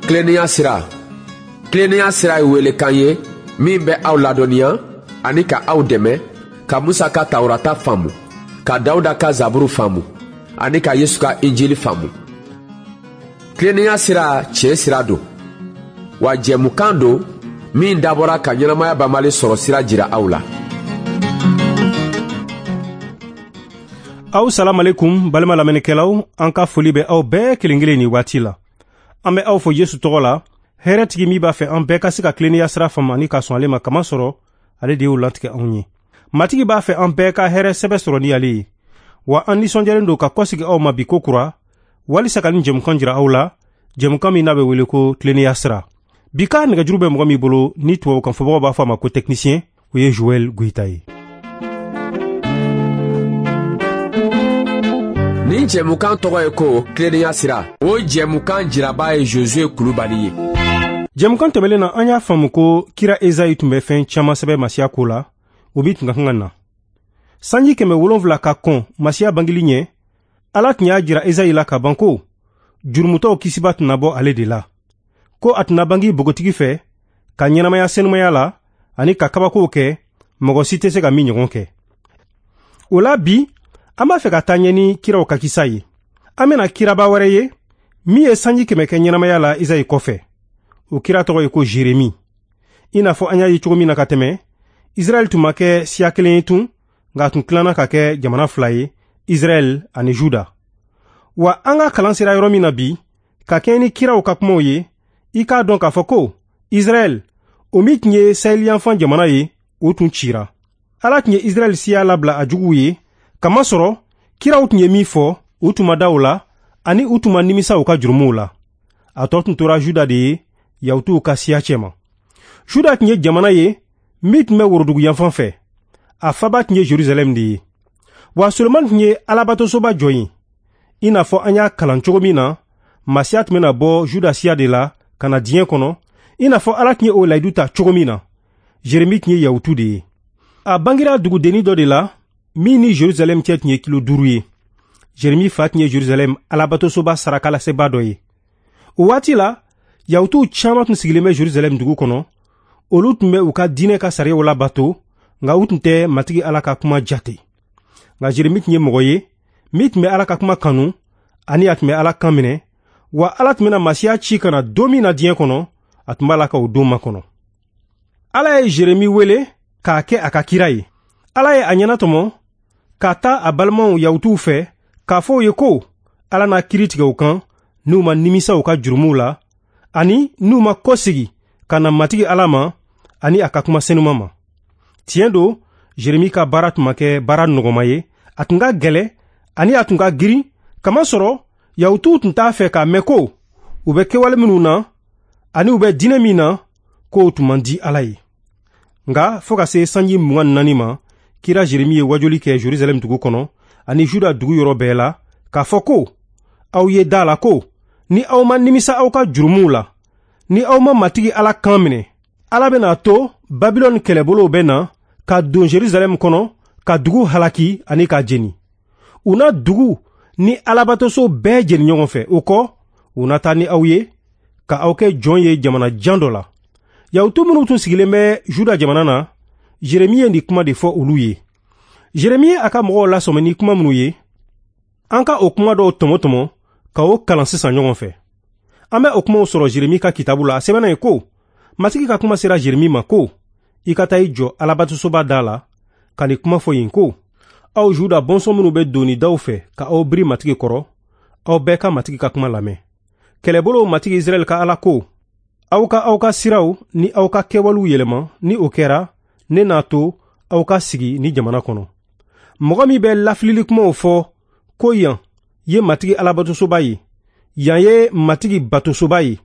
Tilennenya sira, tilennenya sira ye welekan ye min bɛ aw ladɔnniya ani ka aw dɛmɛ ka Musa ka Tawurata faamu, ka Dawuda ka Zaburu faamu ani ka Yesu ka Injili faamu. Tilennenya sira tiɲɛ sira don, wa jɛmukan don min dabɔra ka ɲɛnamaya banbali sɔrɔ sira jira aw la. Aw salamalekum balima lamɛnnikɛlaw, an ka foli bɛ aw bɛɛ kelen kelen nin waati la. An bɛ aw fo Yesu tɔgɔ la, hɛrɛtigi min b'a fɛ an bɛɛ ka se ka tilennenya sira faamu ani ka sɔn ale ma, kamasɔrɔ ale de y'o latigɛ anw ye. Matigi b'a fɛ an bɛɛ ka hɛrɛ sɛbɛ sɔrɔ ni ale ye. Wa an nisɔndiyalen don ka kɔsegi aw ma bi ko kura, walisa ka nin jɛmukan jira aw la, jɛmukan min n'a bɛ wele ko tilennenya sira. Bi ka nɛgɛjuru bɛ mɔgɔ min bolo ni tubabukan fɔbagaw b'a fɔ a ma ko technicien, o ye Joël Goïta ye. Nin jɛmukan tɔgɔ ye ko tilennenya sira. O jɛmukan jiraba ye Josue Kulubali ye. Jɛmukan tɛmɛlen na, an y'a faamu ko kira Ezayi tun bɛ fɛn caman sɛbɛn Masiya ko la, o min tun ka kan ka na. Sanji 700 ka kɔn Masiya bangeli ɲɛ, Ala tun y'a jira Ezayi la ka ban ko jurumutɔw kisiba tɛna bɔ ale de la, ko a tɛna bangi bogotigi fɛ ka ɲɛnamaya senumaya la ani ka kabakow kɛ mɔgɔ si tɛ se ka min ɲɔgɔn kɛ. O la bi, an b'a fɛ ka taa ɲɛ ni kiraw ka kisa ye. An bɛna kiraba wɛrɛ ye min ye sanji 100 kɛ ɲɛnamaya la Ezayi kɔfɛ. O kira tɔgɔ ye ko Jeremi. I n'a fɔ an y'a ye cogo min na ka tɛmɛ, Israɛl tun ma kɛ siya kelen ye tun, nka a tun tilanna ka kɛ jamana fila ye, Israɛl ani Juda. Wa an ka kalan sera yɔrɔ min na bi, ka kɛɲɛ ni kiraw ka kumaw ye, i k'a dɔn k'a fɔ ko Israɛl, o min tun ye saheliyanfan jamana ye, o tun cira. Ala tun ye Israɛl siya labila a juguw ye, kamasɔrɔ kiraw tun ye min fɔ, u tun ma da o la, ani u tun ma nimisa u ka jurumuw la. A tɔ tun tora Juda de ye, Yahutuw ka siya cɛma. Juda tun ye jamana ye min tun bɛ worodugu yanfan fɛ. A faba tun ye Jerusalɛm de ye. Wa Solomani tun ye Alabatosoba jɔ yen. I n'a fɔ an y'a kalan cogo min na, Masiya tun bɛna bɔ Juda siya de la ka na diɲɛ kɔnɔ, i n'a fɔ Ala tun ye o layidu ta cogo min na. Jeremi tun ye Yahutu de ye. A bangira dugudennin dɔ de la min ni Jerusalɛm cɛ tun ye kilo 5 ye. Jeremi fa tun ye Jerusalɛm Alabatosoba sarakalaseba dɔ ye. O waati la, Yahutuw caman tun sigilen bɛ Jerusalɛm dugu kɔnɔ. Olu tun bɛ u ka diinɛ ka sariyaw labato, nka u tun tɛ Matigi Ala ka kuma jate. Nka Jeremi tun ye mɔgɔ ye min tun bɛ Ala ka kuma kanu ani a tun bɛ Ala kan minɛ, wa Ala tun bɛna Masiya ci ka na don min na diɲɛ kɔnɔ, a tun b'a la ka o don makɔnɔ. Ala ye Jeremi wele k'a kɛ a ka kira ye. Ala ye a ɲɛnatɔmɔ ka taa a balimaw Yahutuw fɛ k'a fɔ u ye ko Ala n'a kiiri tigɛ u kan n'u ma nimisa u ka jurumuw la ani n'u ma kɔsegi ka na Matigi Ala ma ani a ka kuma senuma ma. Tiɲɛ don, Jeremi ka baara tun ma kɛ baara nɔgɔma ye, a tun ka gɛlɛ ani a tun ka girin, kamasɔrɔ Yahutuw tun t'a fɛ k'a mɛn ko u bɛ kɛwale minnu na ani u bɛ diinɛ min na, k'o tun man di Ala ye. Nka fo ka se sanji 24 ma, kira Jeremi ye wajuli kɛ Jerusalɛm dugu kɔnɔ ani Juda dugu yɔrɔ bɛɛ la k'a fɔ ko aw ye da la ko ni aw ma nimisa aw ka jurumuw la, ni aw ma Matigi Ala kan minɛ, Ala bɛna to Babilɔni kɛlɛbolow bɛ na ka don Jerusalɛm kɔnɔ ka dugu halaki ani k'a jeni. U na dugu ni Alabatoso bɛɛ jeni ɲɔgɔn fɛ. O kɔ, u na taa ni aw ye ka aw kɛ jɔn ye jamana jan dɔ la. Yahutu minnu tun sigilen bɛ Juda jamana na, Jeremi ye nin kuma de fɔ olu ye. Jeremi ye a ka mɔgɔw lasɔmi ni kuma minnu ye, an ka o kuma dɔw tɔmɔ-tɔmɔ ka o kalan sisan ɲɔgɔn fɛ. An bɛ o kumaw sɔrɔ Jeremi ka kitabu la. A sɛbɛnna ye ko, Matigi ka kuma sera Jeremi ma ko, i ka taa i jɔ Alabatosoba da la ka nin kuma fɔ yen ko, aw Juda bɔnsɔn minnu bɛ doni daw fɛ ka aw biri Matigi kɔrɔ, aw bɛɛ ka Matigi ka kuma lamɛn. Kɛlɛbolow Matigi Israɛl ka Ala ko, aw ka aw ka siraw ni aw ka kɛwalew yɛlɛma, ni o kɛra, ne n'a to aw ka sigi ni jamana kɔnɔ. Mɔgɔ min bɛ lafilili kumaw fɔ ko yan ye Matigi Alabatosoba ye, yan ye Matigi batosoba ye,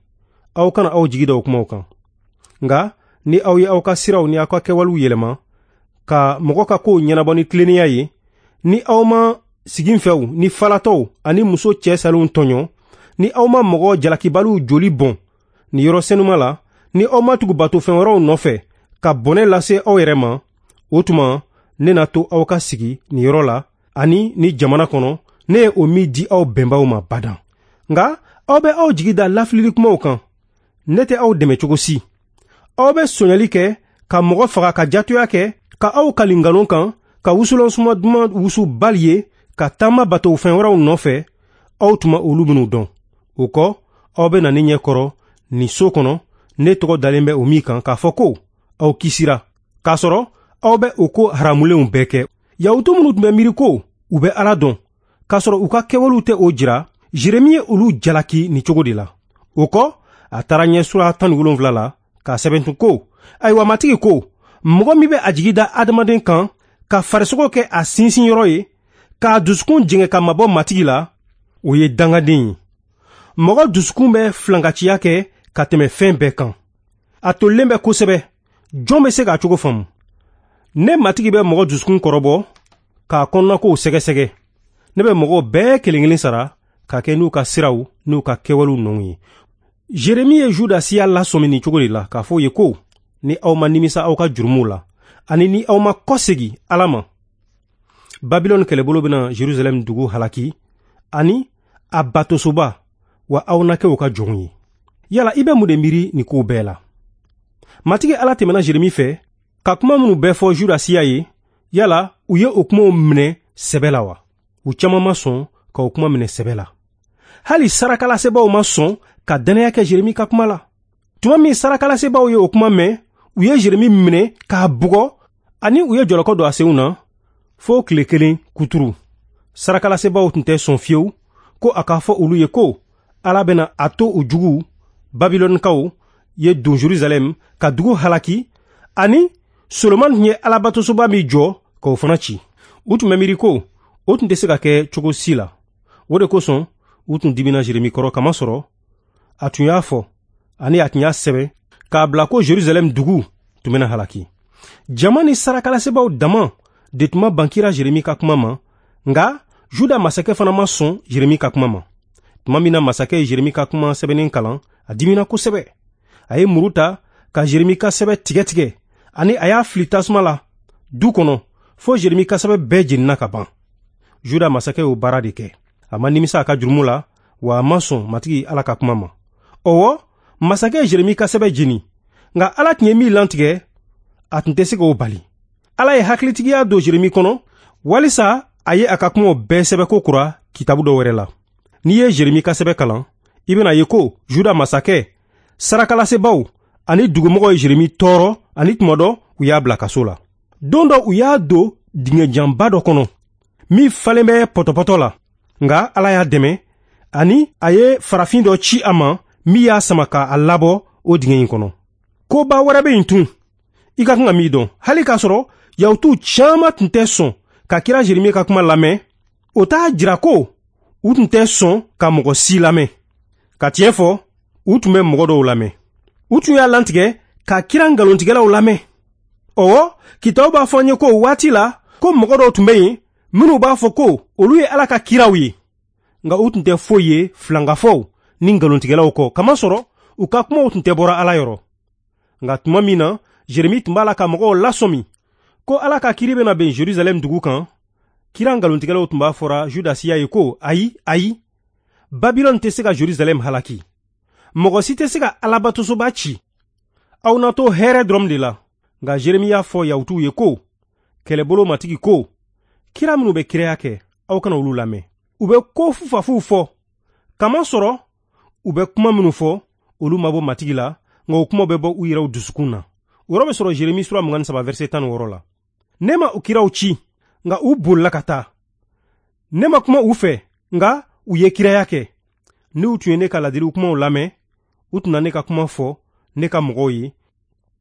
aw kana aw jigi da o kumaw kan. Nka ni aw ye aw ka siraw ni aw ka kɛwalew yɛlɛma ka mɔgɔ ka kow ɲɛnabɔ ni tilennenya ye, ni aw ma siginfɛw ni falatɔw ani muso cɛ salenw tɔɲɔ, ni aw ma mɔgɔ jalakibaliw joli bɔn nin yɔrɔ senuma la, ni aw ma tugu batofɛn wɛrɛw nɔfɛ ka bɔnɛ lase aw yɛrɛ ma, o tuma ne na to aw ka sigi nin yɔrɔ la ani ni jamana kɔnɔ, ne ye o min di aw bɛnbaw ma badan. Nka aw bɛ aw jigi da lafilili kumaw kan. Ne tɛ aw dɛmɛ cogo si. Aw bɛ sonyali kɛ, ka mɔgɔ faga, ka jatoya kɛ, ka aw kali nkalon kan, ka wusulan suma duman wusu Bali ye, ka taama bato fɛn wɛrɛw nɔfɛ, aw tun ma olu minnu dɔn. O kɔ, aw bɛ na ne ɲɛ kɔrɔ nin so kɔnɔ, ne tɔgɔ dalen bɛ o min kan, k'a fɔ ko aw kisira, k'a sɔrɔ aw bɛ o ko haramulenw bɛɛ kɛ. Yahutu minnu tun bɛ miiri ko u bɛ Ala dɔn, k'a sɔrɔ u ka kɛwalew tɛ o jira, Jeremi ye olu jalaki nin cogo de la. O kɔ, a taara ɲɛ sura 17 la k'a sɛbɛn tun ko: Ayiwa, Matigi ko, mɔgɔ min bɛ a jigi da adamaden kan, ka farisogo kɛ a sinsinyɔrɔ ye, k'a dusukun jɛngɛ ka mabɔ Matigi la, o ye dangaden ye. Mɔgɔ dusukun bɛ filankanciya kɛ ka tɛmɛ fɛn bɛɛ kan. A tolilen bɛ kosɛbɛ, jɔn bɛ se k'a cogo faamu? Ne Matigi bɛ mɔgɔ dusukun kɔrɔbɔ k'a kɔnɔnakow sɛgɛsɛgɛ. Ne bɛ mɔgɔw bɛɛ kelen kelen sara ka kɛ n'u ka siraw n'u ka kɛwalew nɔw ye. Jeremi ye Juda siya lasɔmi nin cogo de la, k'a fɔ u ye ko ni aw ma nimisa aw ka jurumuw la, ani ni aw ma kɔsegi Ala ma, Babilɔni kɛlɛbolo bɛna Jerusalɛm dugu halaki ani a batosoba, wa aw na kɛ u ka jɔnw ye. Yala i bɛ mun de miiri nin kow bɛɛ la? Matigi Ala tɛmɛna Jeremi fɛ ka kuma minnu bɛɛ fɔ Juda siya ye, yala u ye o kumaw minɛ sɛbɛ la wa? U caman ma sɔn ka o kuma minɛ sɛbɛ la. Hali sarakalasebaaw ma sɔn ka dannaya kɛ Jeremi ka kuma la. Tuma min sarakalasebaaw ye o kuma mɛn, u ye Jeremi minɛ k'a bugɔ, ani u ye jɔlɔkɔ don a senw na fo tile kelen kuturu. Sarakalasebaaw tun tɛ sɔn fiyewu ko a k'a fɔ olu ye ko Ala bɛna a to u juguw Babilɔnikaw ye don Jerusalɛm ka dugu halaki, ani Solomani tun ye Alabatosoba min jɔ k'o fana ci. U tun bɛ miiri ko o tun tɛ se ka kɛ cogo si la. O de kosɔn u tun dimina Jeremi kɔrɔ, kamasɔrɔ a tun y'a fɔ ani a tun y'a sɛbɛn k'a bila ko Jerusalɛm dugu tun bɛna halaki. Jama ni sarakalasebaaw dama de tun ma ban kira Jeremi ka kuma ma, nka Juda masakɛ fana ma sɔn Jeremi ka kuma ma. Tuma min na masakɛ ye Jeremi ka kuma sɛbɛnnen kalan, a dimina kosɛbɛ. A ye muru ta ka Jeremi ka sɛbɛn tigɛ tigɛ, ani a y'a fili tasuma la du kɔnɔ fo Jeremi ka sɛbɛn bɛɛ jenina ka ban. Juda masakɛ y'o baara de kɛ. A ma nimisa a ka jurumu la, wa a ma sɔn Matigi Ala ka kuma ma. Ɔwɔ, masakɛ ye Jeremi ka sɛbɛn jeni, nka Ala tun ye min lantigɛ, a tun tɛ se k'o bali. Ala ye hakilitigiya don Jeremi kɔnɔ walisa a ye a ka kumaw bɛɛ sɛbɛn ko kura kitabu dɔ wɛrɛ la. N'i ye Jeremi ka sɛbɛn kalan, i bɛna ye ko Juda masakɛ, sarakalasebaaw ani dugumɔgɔw ye Jeremi tɔɔrɔ, ani tuma dɔ u y'a bila kaso la. Don dɔ u y'a don dingɛjanba dɔ kɔnɔ min falen bɛ pɔtɔpɔtɔ la, nka Ala y'a dɛmɛ ani a ye farafin dɔ ci a ma min y'a sama k'a labɔ o dingɛ in kɔnɔ. Koba wɛrɛ bɛ yen tun i ka kan ka min dɔn. Hali k'a sɔrɔ Yahutuw caman tun tɛ sɔn ka kira Jeremi ka kuma lamɛn, o t'a jira ko u tun tɛ sɔn ka mɔgɔ si lamɛn. Ka tiɲɛ fɔ, u tun bɛ mɔgɔ dɔw lamɛn. U tun y'a lantigɛ ka kira nkalontigɛlaw lamɛn. Ɔwɔ, kitabu b'a fɔ an ye ko o waati la ko mɔgɔ dɔw tun bɛ yen minnu b'a fɔ ko olu ye Ala ka kiraw ye, nka u tun tɛ foyi ye filankafɔw ni nkalontigɛlaw kɔ, kamasɔrɔ u ka kumaw tun tɛ bɔra Ala yɔrɔ. Nka tuma min na Jeremi tun b'a la ka mɔgɔw lasɔmi ko Ala ka kiri bɛna ben Jerusalɛm dugu kan, kira nkalontigɛlaw tun b'a fɔra Juda siya ye ko ayi, ayi, Babilɔni tɛ se ka Jerusalɛm halaki. Mɔgɔ si tɛ se ka Alabatosoba ci. Aw na to hɛrɛ dɔrɔn de la. Nka Jeremi y'a fɔ Yahutuw ye ko kɛlɛbolo Matigi ko, kira minnu bɛ kiraya kɛ, aw kana olu lamɛn. U bɛ ko fufafuw fɔ, kamasɔrɔ u bɛ kuma minnu fɔ, olu ma bɔ Matigi la, nka o kumaw bɛ bɔ u yɛrɛw dusukun na. O yɔrɔ bɛ sɔrɔ Jeremi sura 23 verset 16 la. Ne ma u kiraw ci, nka u bolila ka taa. Ne ma kuma u fɛ, nka u ye kiraya kɛ. N'u tun ye ne ka ladiliw kumaw lamɛn, u tun na ne ka kuma fɔ ne ka mɔgɔw ye,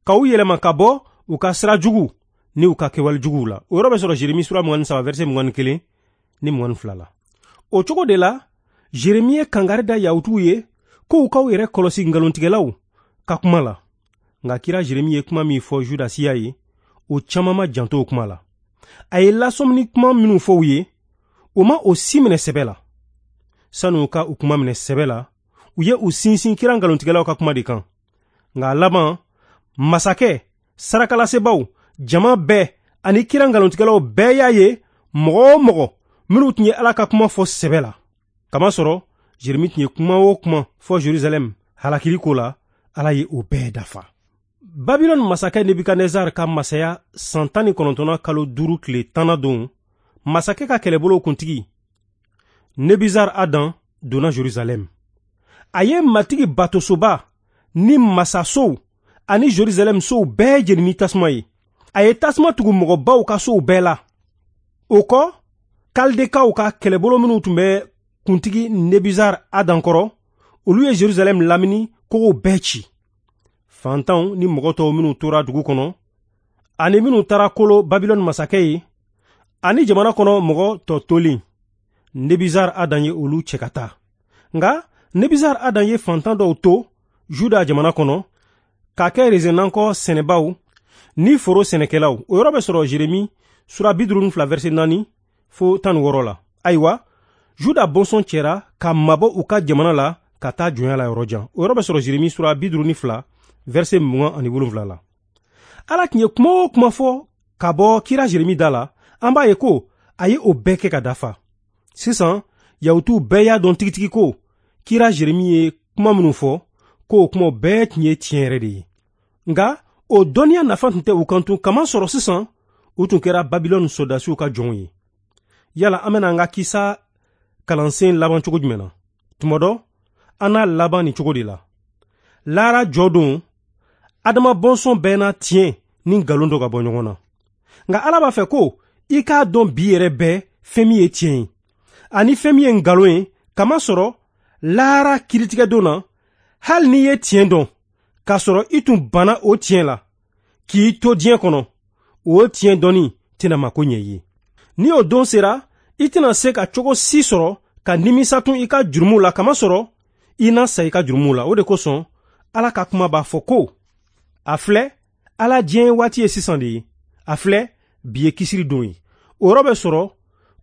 ka u yɛlɛma ka bɔ u ka sira jugu ni u ka kɛwale juguw la. O yɔrɔ bɛ sɔrɔ Jeremi sura 23 verset 21 ni 22 la. O cogo de la, Jeremi ye kangari da Yahutuw ye ko u k'aw yɛrɛ kɔlɔsi nkalontigɛlaw ka kuma la. Nka kira Jeremi ye kuma min fɔ Juda siya ye, o caman ma janto o kuma la. A ye lasɔmini kuma minnu fɔ u ye, o ma o si minɛ sɛbɛ la. Sani u ka u kuma minɛ sɛbɛ la, u ye u sinsin kira nkalontigɛlaw ka kuma de kan. Nka a laban, masakɛ, sarakalasebaaw, jama bɛɛ ani kira nkalontigɛlaw bɛɛ y'a ye mɔgɔ o mɔgɔ minnu tun ye Ala ka kuma fɔ sɛbɛ la. Kamasɔrɔ Jeremi tun ye kuma o kuma fɔ Jerusalɛm halakili ko la, Ala ye o bɛɛ dafa. Babilɔni masakɛ Nebukadnezar ka masaya san 19nan kalo 5 tile 10nan don, masakɛ ka kɛlɛbolo kuntigi Nebuzar Adan donna Jerusalɛm. A ye Matigi batosoba ni masasow ani Jerusalɛm sow bɛɛ jeni ni tasuma ye. A ye tasuma tugu mɔgɔbaw ka sow bɛɛ la. O kɔ, Kaldekaw ka kɛlɛbolo minnu tun bɛ kuntigi Nebuzar Adan kɔrɔ, olu ye Jerusalɛm lamini kogow bɛɛ ci. Fantanw ni mɔgɔ tɔw minnu tora dugu kɔnɔ, ani minnu taara kolo Babilɔni masakɛ ye, ani jamana kɔnɔ mɔgɔ tɔ tolen, Nebuzar Adan ye olu cɛ ka taa. Nka Nebuzar Adan ye fantan dɔw to Juda jamana kɔnɔ k'a kɛ rezenankɔ sɛnɛbaw ni foro sɛnɛkɛlaw. O yɔrɔ bɛ sɔrɔ Jeremi sura 52 verset 4 fo 16 la. Ayiwa, Juda bɔnsɔn cɛra ka mabɔ u ka jamana la ka taa jɔnya la yɔrɔ jan. O yɔrɔ bɛ sɔrɔ Jeremi sura 52 verset 27 la. Ala tun ye kuma o kuma fɔ ka bɔ kira Jeremi da la, an b'a ye ko a ye o bɛɛ kɛ ka dafa. Sisan, Yahutuw bɛɛ y'a dɔn tigitigi ko kira Jeremi ye kuma minnu fɔ, k'o kumaw bɛɛ tun ye tiɲɛ yɛrɛ de ye. Nka o dɔnniya nafa tun tɛ u kan tun, kamasɔrɔ sisan u tun kɛra Babilɔni sɔrɔdasiw ka jɔnw ye. Yala an bɛna an ka kisa kalansen laban cogo jumɛn na? Tuma dɔ, an n'a laban nin cogo de la. Lahara jɔ don, Adama bɔnsɔn bɛɛ na tiɲɛ ni nkalon dɔ ka bɔ ɲɔgɔn na. Nka Ala b'a fɛ ko i k'a dɔn bi yɛrɛ bɛɛ fɛn min ye tiɲɛ ye ani fɛn min ye nkalon ye, kamasɔrɔ lahara kiritigɛdon na, hali n'i ye tiɲɛ dɔn k'a sɔrɔ i tun banna o tiɲɛ la k'i to diɲɛ kɔnɔ, o tiɲɛ dɔnni tɛna mako ɲɛ i ye. Ni o don sera, i tɛna se ka cogo si sɔrɔ ka nimisa tun i ka jurumu la, kamasɔrɔ i na sa i ka jurumu la. O de kosɔn Ala ka kuma b'a fɔ ko a filɛ, Ala diɲɛ waati ye sisan de ye. A filɛ, bi ye kisiri don ye. O yɔrɔ bɛ sɔrɔ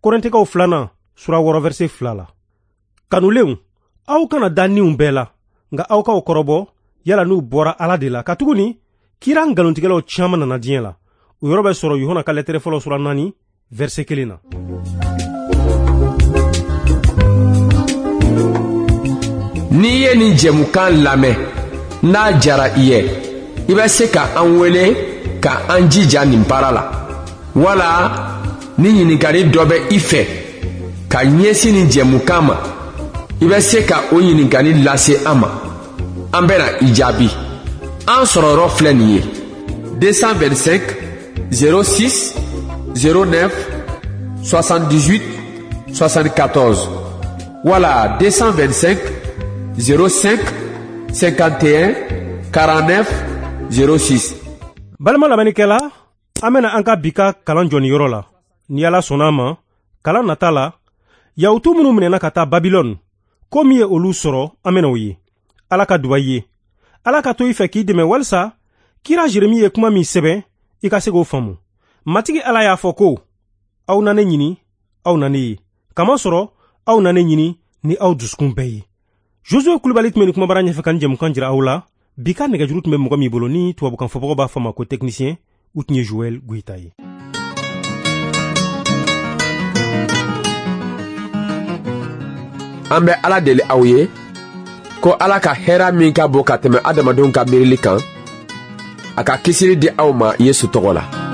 Kɔrɛntɛkaw 2 sura 6 verset 2 la. Kanulenw, aw kana da niw bɛɛ la, nka aw k'aw kɔrɔbɔ yala n'u bɔra Ala de la, katuguni kira nkalontigɛlaw caman nana diɲɛ la. O yɔrɔ bɛ sɔrɔ Yohana ka lɛtɛrɛ fɔlɔ sura 4 verset 1 na. N'i ye nin jɛmukan lamɛn, n'a diyara i ye, i bɛ se ka an wele ka an jija nin baara la. Wala ni ɲininkali dɔ bɛ i fɛ ka ɲɛsin nin jɛmukan ma, i bɛ se ka o ɲininkali lase an ma. An bɛna i jaabi. An sɔrɔyɔrɔ filɛ nin ye: 225 06 09 78 74 wala 225 05 51 49 06. Balima lamɛnnikɛla, an bɛna an ka bi ka kalan jɔ nin yɔrɔ la. Ni Ala sɔnna a ma, kalan nata la, Yahutu minnu minɛna ka taa Babilɔni, ko min ye olu sɔrɔ, an bɛna o ye. Ala ka duba i ye. Ala ka to i fɛ k'i dɛmɛ walisa kira Jeremi ye kuma min sɛbɛn, i ka se k'o faamu. Matigi Ala y'a fɔ ko aw na ne ɲini, aw na ne ye, kamasɔrɔ aw na ne ɲini ni aw dusukun bɛɛ ye. Josue Kulibali tun bɛ nin kumabara ɲɛfɛ ka nin jɛmukan jira aw la. Bi ka nɛgɛjuru tun bɛ mɔgɔ min bolo ni tubabukan fɔbagaw b'a fɔ ma ko technicien, u tun ye Joël Goïta ye. An bɛ Ala deli aw ye ko Ala ka hɛrɛ min ka bon ka tɛmɛ adamadenw ka miirili kan, a ka kisili di aw ma Yesu tɔgɔ la.